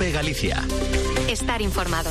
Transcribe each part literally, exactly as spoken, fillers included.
COPE Galicia. Estar informado.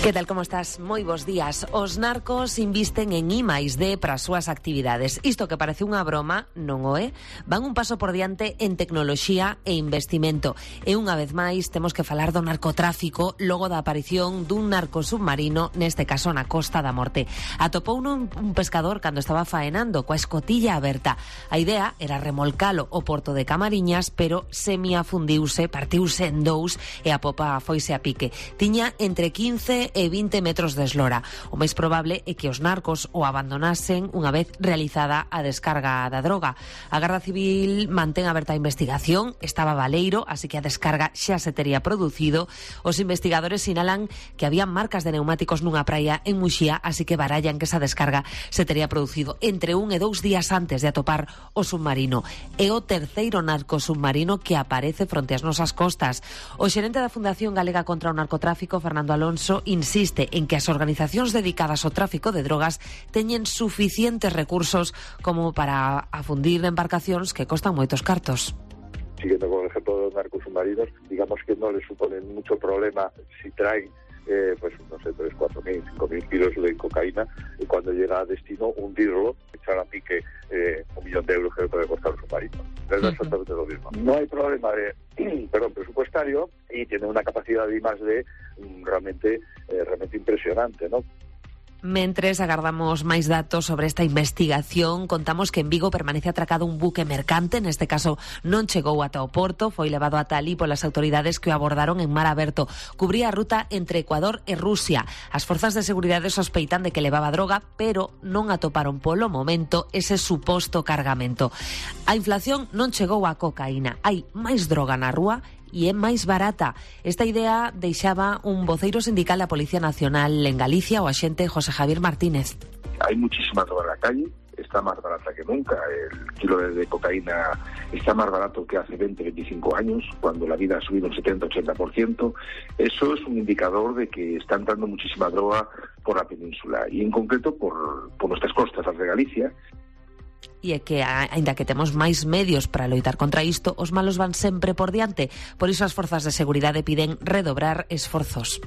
Que tal, como estás? Moi bons días. Os narcos invisten en I máis D para as súas actividades. Isto que parece unha broma, non o é. Van un paso por diante en tecnoloxía e investimento. E unha vez máis temos que falar do narcotráfico logo da aparición dun narco submarino, neste caso na Costa da Morte. Atopou un, un pescador cando estaba faenando coa escotilla aberta. A idea era remolcalo ao porto de Camariñas, pero semiafundiuse, partiuse en dous e a popa foise a pique. Tiña entre quince e vinte metros de eslora. O máis probable é que os narcos o abandonasen unha vez realizada a descarga da droga. A Garda Civil mantén aberta a investigación, estaba baleiro, así que a descarga xa se tería producido. Os investigadores sinalan que había marcas de neumáticos nunha praia en Muxía, así que barallan que esa descarga se tería producido entre un e dous días antes de atopar o submarino. É o terceiro narco submarino que aparece fronte ás nosas costas. O xerente da Fundación Galega contra o Narcotráfico, Fernando Alonso, insiste en que as organizacións dedicadas ao tráfico de drogas teñen suficientes recursos como para afundir embarcacións que costan moitos cartos. Siguiendo con el ejemplo de los narcos submarinos, digamos que no les suponen mucho problema si traen eh, pues no sé, tres, cuatro mil, cinco mil kilos de cocaína y cuando llega a destino hundirlo, echar a pique eh, un millón de euros que le puede costar un submarino. Es uh-huh. exactamente lo mismo. No hay problema de perdón, presupuestario y tiene una capacidad de I más D realmente, eh, realmente impresionante, ¿no? Mentres agardamos máis datos sobre esta investigación, contamos que en Vigo permanece atracado un buque mercante, neste caso non chegou ata o porto, foi levado ata alí polas autoridades que o abordaron en mar aberto. Cubría a ruta entre Ecuador e Rusia. As forzas de seguridade sospeitan de que levaba droga, pero non atoparon polo momento ese suposto cargamento. A inflación non chegou á cocaína, hai máis droga na rúa e é máis barata. Esta idea deixaba un voceiro sindical da Policía Nacional en Galicia, o axente José Javier Martínez. Hay muchísima droga en la calle, está más barata que nunca. El kilo de cocaína está más barato que hace veinte, veinticinco años, cuando la vida ha subido un setenta, ochenta por ciento. Eso es un indicador de que está entrando muchísima droga por la península y en concreto por, por nuestras costas, las de Galicia. E é que, aínda que temos máis medios para loitar contra isto, os malos van sempre por diante. Por iso as forzas de seguridade piden redobrar esforzos.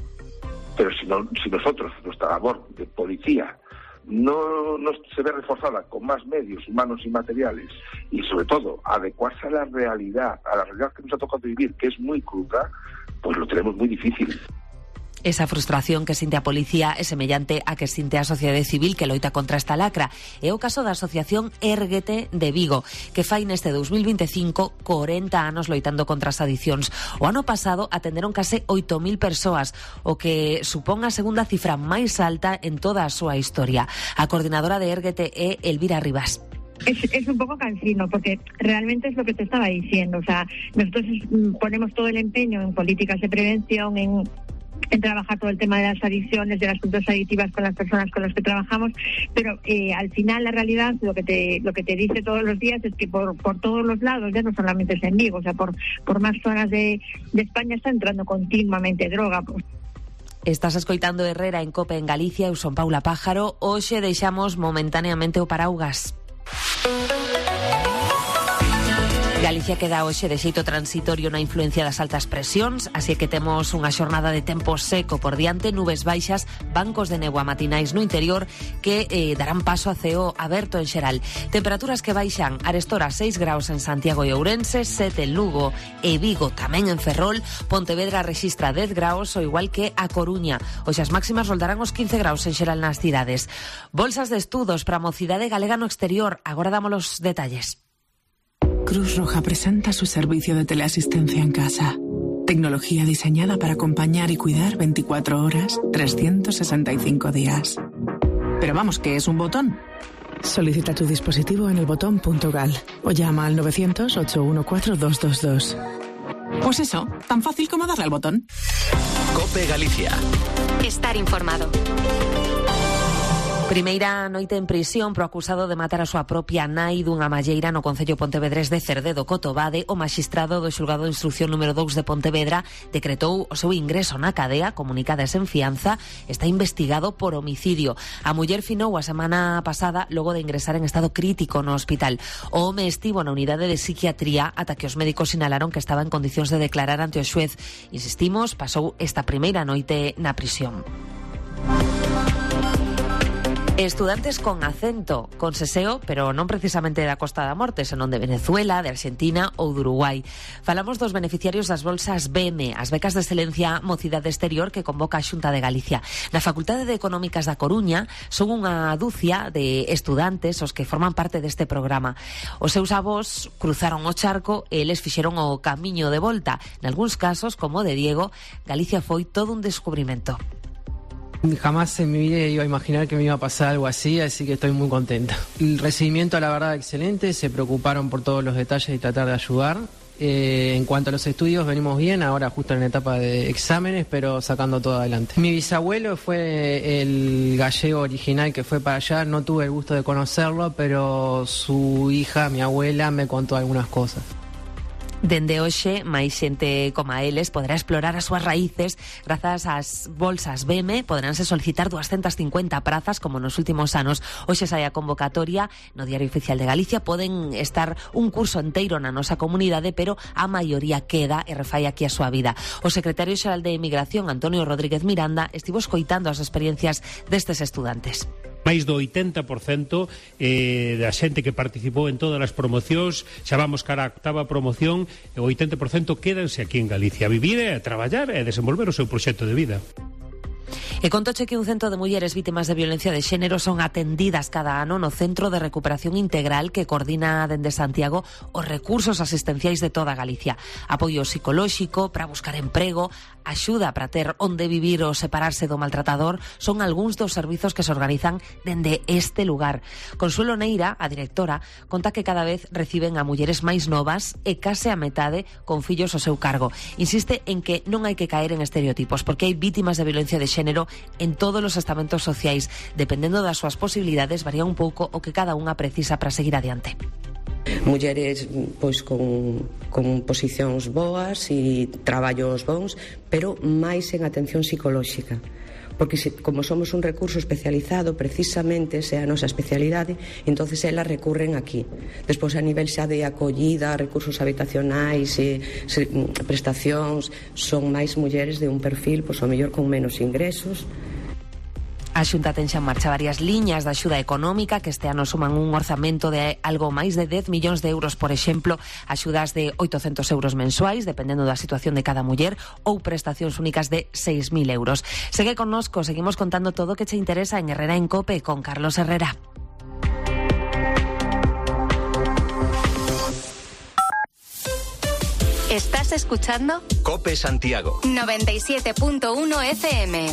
Pero si, no, si nosotros, nuestra labor de policía, no, no se ve reforzada con más medios humanos y materiales, y sobre todo adecuarse a la realidad, a la realidad que nos ha tocado vivir, que es muy cruda, pues lo tenemos muy difícil. Esa frustración que sinte a policía é semellante a que sinte a sociedade civil que loita contra esta lacra. É o caso da asociación Érguete de Vigo, que fai neste dos mil veinticinco corenta anos loitando contra as adiccións. O ano pasado atenderon case oito mil persoas, o que supón a segunda cifra máis alta en toda a súa historia. A coordinadora de Érguete é Elvira Rivas. Es, es un poco cansino, porque realmente es lo que te estaba diciendo. O sea, nosotros ponemos todo el empeño en políticas de prevención, en en trabajar todo el tema de las adicciones, de las conductas adictivas con las personas con las que trabajamos, pero eh, al final la realidad lo que te lo que te dice todos los días es que por por todos los lados, ya no solamente es en Vigo, o sea, por por más zonas de, de España está entrando continuamente droga. Estás escoitando Herrera en COPE en Galicia, eu son Paula Pájaro. Hoxe deixamos momentáneamente o paraugas. Galicia queda hoxe de xeito transitorio na influencia das altas presións, así que temos unha xornada de tempo seco por diante, nubes baixas, bancos de néboa matinais no interior que eh, darán paso a ceo aberto en xeral. Temperaturas que baixan arestora seis graus en Santiago e Ourense, sete en Lugo e Vigo, tamén en Ferrol. Pontevedra rexistra dez graus, o igual que a Coruña. Hoxe as máximas roldarán os quince graus en xeral nas cidades. Bolsas de estudos para a mocidade galega no exterior. Agora damos os detalles. Cruz Roja presenta su servicio de teleasistencia en casa. Tecnología diseñada para acompañar y cuidar veinticuatro horas, trescientos sesenta y cinco días. Pero vamos, ¿qué es un botón? Solicita tu dispositivo en el botón punto gal o llama al novecientos, ocho uno cuatro, dos dos dos. Pues eso, tan fácil como darle al botón. COPE Galicia. Estar informado. Primeira noite en prisión pro acusado de matar a súa propia nai dunha malleira no concello pontevedrés de Cerdedo Cotobade. O maxistrado do xulgado de instrucción número dous de Pontevedra decretou o seu ingreso na cadea, comunicada sen fianza. Está investigado por homicidio. A muller finou a semana pasada logo de ingresar en estado crítico no hospital. O home estivo na unidade de psiquiatría ata que os médicos sinalaron que estaba en condicións de declarar ante o xuez. Insistimos, pasou esta primeira noite na prisión. Estudantes con acento, con seseo, pero non precisamente da Costa da Morte, senón de Venezuela, de Argentina ou de Uruguai. Falamos dos beneficiarios das bolsas B E M E, as becas de excelencia Mocidade Exterior que convoca a Xunta de Galicia. Na Facultade de Económicas da Coruña son unha dúcia de estudantes os que forman parte deste programa. Os seus avós cruzaron o charco e eles fixeron o camiño de volta. Nalgúns casos, como o de Diego, Galicia foi todo un descubrimento. Jamás en mi vida iba a imaginar que me iba a pasar algo así, así que estoy muy contenta. El recibimiento, la verdad, excelente. Se preocuparon por todos los detalles y tratar de ayudar. Eh, en cuanto a los estudios, venimos bien, ahora justo en la etapa de exámenes, pero sacando todo adelante. Mi bisabuelo fue el gallego original que fue para allá. No tuve el gusto de conocerlo, pero su hija, mi abuela, me contó algunas cosas. Dende hoxe, máis xente como a eles poderá explorar as súas raíces grazas ás bolsas B E M E. Poderánse solicitar doscientas cincuenta prazas como nos últimos anos. Hoxe sai a convocatoria no Diario Oficial de Galicia. Poden estar un curso enteiro na nosa comunidade, pero a maioría queda e refai aquí a súa vida. O secretario xeral de Emigración, Antonio Rodríguez Miranda, estivo escoitando as experiencias destes estudantes. Máis do oitenta por cento eh, da xente que participou en todas as promocións, xa vamos cara a octava promoción, e o oitenta por cento quédanse aquí en Galicia a vivir e a traballar e a desenvolver o seu proxecto de vida. E contoche que un cento de mulleres vítimas de violencia de xénero son atendidas cada ano no Centro de Recuperación Integral que coordina dende Santiago os recursos asistenciais de toda Galicia. Apoio psicolóxico para buscar emprego, axuda para ter onde vivir ou separarse do maltratador son algúns dos servizos que se organizan dende este lugar. Consuelo Neira, a directora, conta que cada vez reciben a mulleres máis novas e case a metade con fillos ao seu cargo. Insiste en que non hai que caer en estereotipos, porque hai vítimas de violencia de xénero en todos os estamentos sociais. Dependendo das súas posibilidades, varía un pouco o que cada unha precisa para seguir adiante. Mulleres pois con, con posicións boas e traballos bons, pero máis en atención psicolóxica, porque se, como somos un recurso especializado, precisamente esa é a nosa especialidade, entonces elas recurren aquí. Despois a nivel xa de acollida, recursos habitacionais e se, prestacións, son máis mulleres de un perfil, pois ao mellor con menos ingresos. A Xunta ten xa en marcha varias liñas de axuda económica que este ano suman un orzamento de algo máis de dez millóns de euros, por exemplo, axudas de oitocentos euros mensuais, dependendo da situación de cada muller, ou prestacións únicas de seis mil euros. Segue connosco, seguimos contando todo o que che interesa en Herrera en Cope con Carlos Herrera. ¿Estás escuchando? Cope Santiago noventa y siete punto uno F M.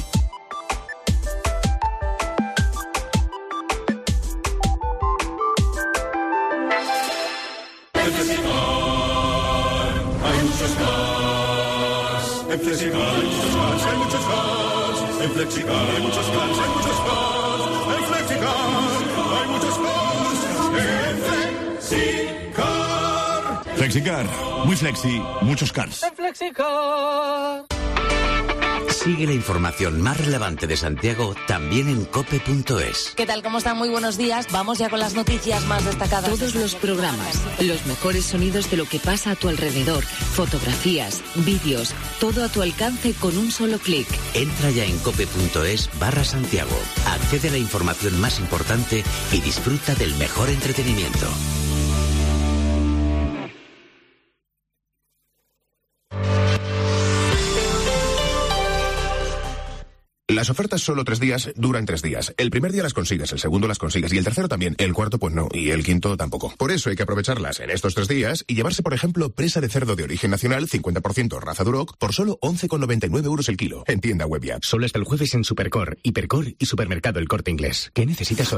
En Flexicar hay muchos cars, hay muchos cars. En Flexicar hay muchos cars, hay muchos cars. En Flexicar hay muchos cars. En Flexicar. Flexicar, muy flexi, muchos cars. En Flexicar. Sigue la información más relevante de Santiago también en cope punto es. ¿Qué tal? ¿Cómo están? Muy buenos días. Vamos ya con las noticias más destacadas. Todos los programas, los mejores sonidos de lo que pasa a tu alrededor, fotografías, vídeos, todo a tu alcance con un solo clic. Entra ya en cope punto es barra Santiago. Accede a la información más importante y disfruta del mejor entretenimiento. Las ofertas solo tres días duran tres días. El primer día las consigues, el segundo las consigues y el tercero también. El cuarto pues no y el quinto tampoco. Por eso hay que aprovecharlas en estos tres días y llevarse, por ejemplo, presa de cerdo de origen nacional, cincuenta por ciento raza Duroc, por solo once con noventa y nueve euros el kilo. En tienda web ya. Solo hasta el jueves en Supercor, Hipercor y Supermercado El Corte Inglés. ¿Qué necesitas hoy?